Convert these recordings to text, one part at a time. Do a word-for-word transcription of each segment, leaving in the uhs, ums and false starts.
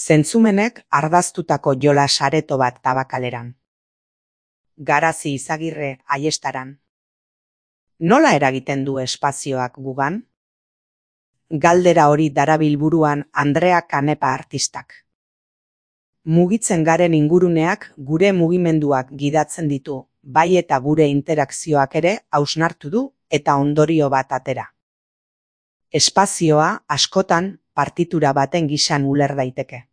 Zentzumenek ardaztutako jolas areto bat Tabakaleran. Garazi Izagirre Aiestaran. Nola eragiten du espazioak gugan? Galdera hori darabil buruan Andrea Canepa artistak. Mugitzen garen inguruneak gure mugimenduak gidatzen ditu, bai eta gure interakzioak ere hausnartu du eta ondorio bat atera. Espazioa askotan partitura baten gisan uler daiteke.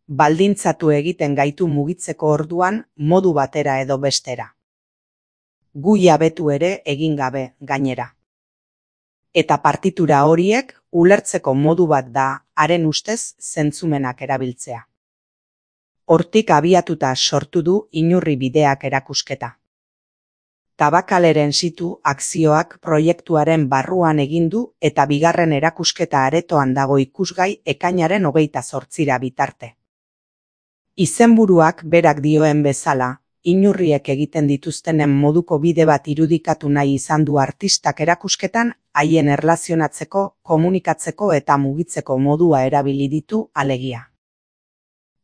Baldintzatu egiten gaitu mugitzeko orduan modu batera edo bestera. Gu jabetu ere egin gabe gainera. Eta partitura horiek ulertzeko modu bat da haren ustez zentzumenak erabiltzea. Hortik abiatuta sortu du Inurri bideak erakusketa. Tabakaleren situ akzioak proiektuaren barruan egin du eta bigarren erakusketa aretoan dago ikusgai ekainaren hogeita zortzira bitarte. Izenburuak berak dioen bezala, inurriek egiten dituztenen moduko bide bat irudikatu nahi izan du artistak erakusketan haien erlazionatzeko, komunikatzeko eta mugitzeko modua erabili ditu alegia.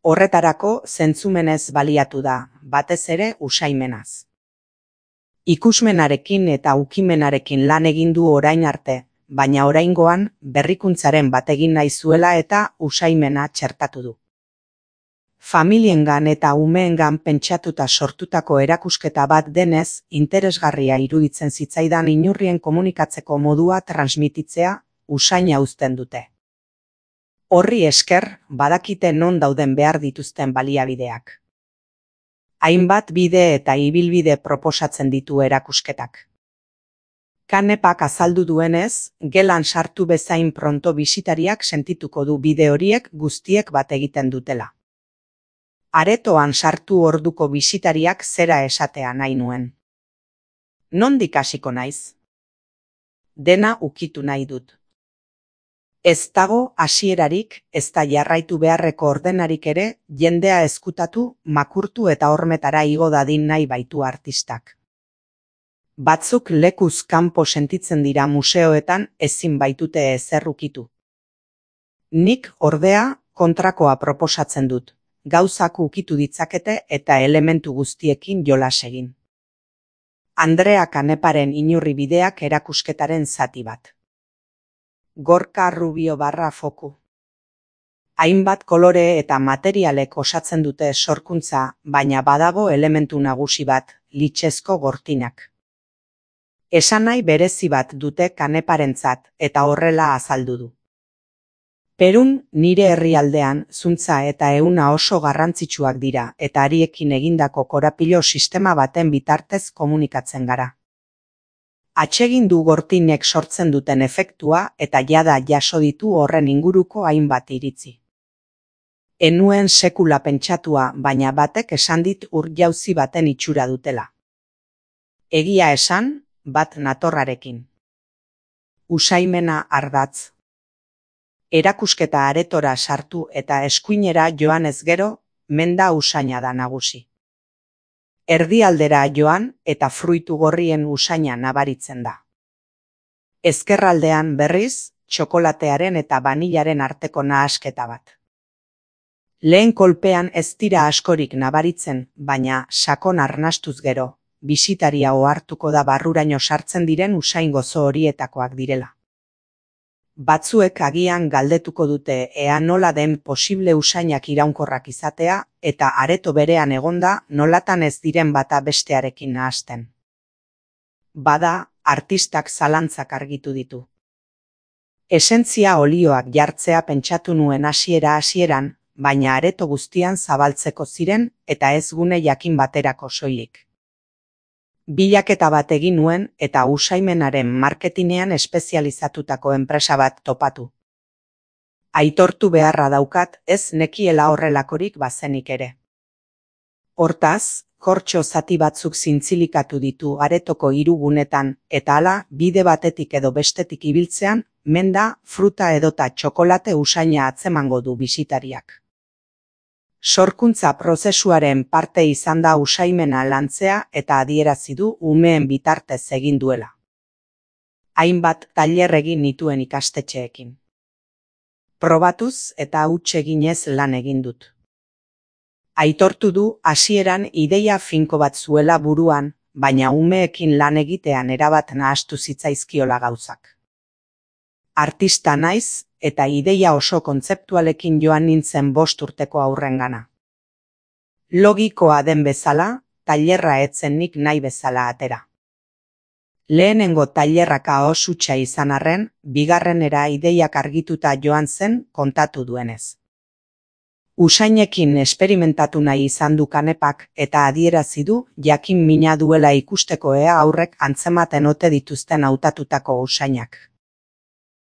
Horretarako zentzumenez baliatu da, batez ere usaimenaz. Ikusmenarekin eta ukimenarekin lan egin du orain arte, baina oraingoan berrikuntzaren bat egin nahi zuela eta usaimena txertatu du. Familiengan eta umeengan pentsatuta sortutako erakusketa bat denez, interesgarria iruditzen zitzaidan inurrien komunikatzeko modua transmititzea usaina uzten dute. Horri esker, badakite non dauden behar dituzten baliabideak. Hainbat bide eta ibilbide proposatzen ditu erakusketak. Canepak azaldu duenez, gelan sartu bezain pronto bisitariak sentituko du bide horiek guztiek bat egiten dutela. Aretoan sartu orduko bisitariak zera esatea nahi nuen. Nondik hasiko naiz? Dena ukitu nahi dut. Ez dago hasierarik, ez da jarraitu beharreko ordenarik ere, jendea ezkutatu, makurtu eta hormetara igo dadin nahi baitu artistak. Batzuk lekuz kanpo sentitzen dira museoetan ezin baitute ezer ukitu. Nik ordea kontrakoa proposatzen dut. Gauzak ukitu ditzakete eta elementu guztiekin jolas egin. Andrea Caneparen Inurri bideak erakusketaren zati bat. Gorka Rubio barra foku. Hainbat kolore eta materialek osatzen dute sorkuntza, baina badago elementu nagusi bat, litxezko gortinak. Esanahi berezi bat dute Caneparentzat eta horrela azaldu du. Perun nire herrialdean zuntza eta ehuna oso garrantzitsuak dira eta hariekin egindako korapilo sistema baten bitartez komunikatzen gara. Atsegin du gortinek sortzen duten efektua eta jada jaso ditu horren inguruko hainbat iritzi. Enuen sekula pentsatua, baina batek esan dit ur jauzi baten itxura dutela. Egia esan, bat natorrarekin. Usaimena ardatz. Erakusketa aretora sartu eta eskuinera joan ez gero, menda usaina da nagusi. Erdialdera joan eta fruitu gorrien usaina nabaritzen da. Ezkerraldean berriz, txokolatearen eta banilaren arteko nahasketa bat. Lehen kolpean ez dira askorik nabaritzen, baina sakon arnastuz gero, bisitaria ohartuko da barruraino sartzen diren usain gozo horietakoak direla. Batzuek agian galdetuko dute ea nola den posible usainak iraunkorrak izatea eta areto berean egonda nolatan ez diren bata bestearekin nahasten. Bada, artistak zalantzak argitu ditu. Esentzia olioak jartzea pentsatu nuen hasiera hasieran, baina areto guztian zabaltzeko ziren eta ez gune jakin baterako soilik. Bilaketa bat egin nuen eta usaimenaren marketinean espezializatutako enpresa bat topatu. Aitortu beharra daukat ez nekiela horrelakorik bazenik ere. Hortaz, kortxo zati batzuk zintzilikatu ditu aretoko hiru gunetan eta hala bide batetik edo bestetik ibiltzean, menda, fruta edota txokolate usaina atzemango du bisitariak. Sorkuntza prozesuaren parte izan da usaimena lantzea eta adierazi du umeen bitartez egin duela. Hainbat tailer egin nituen ikastetxeekin. Probatuz eta huts eginez lan egin dut. Aitortu du hasieran ideia finko bat zuela buruan, baina umeekin lan egitean erabat nahastu zitzaizkiola gauzak. Artista naiz eta ideia oso kontzeptualekin joan nintzen bost urteko aurrengana. Logikoa den bezala, tailerra etzen nik nahi bezala atera. Lehenengo tailerra kaos hutsa izan arren, bigarrenera ideiak argituta joan zen kontatu duenez. Usainekin esperimentatu nahi izan du Kanepak eta adierazi du jakin mina duela ikusteko ea aurrek antzematen ote dituzten hautatutako usainak.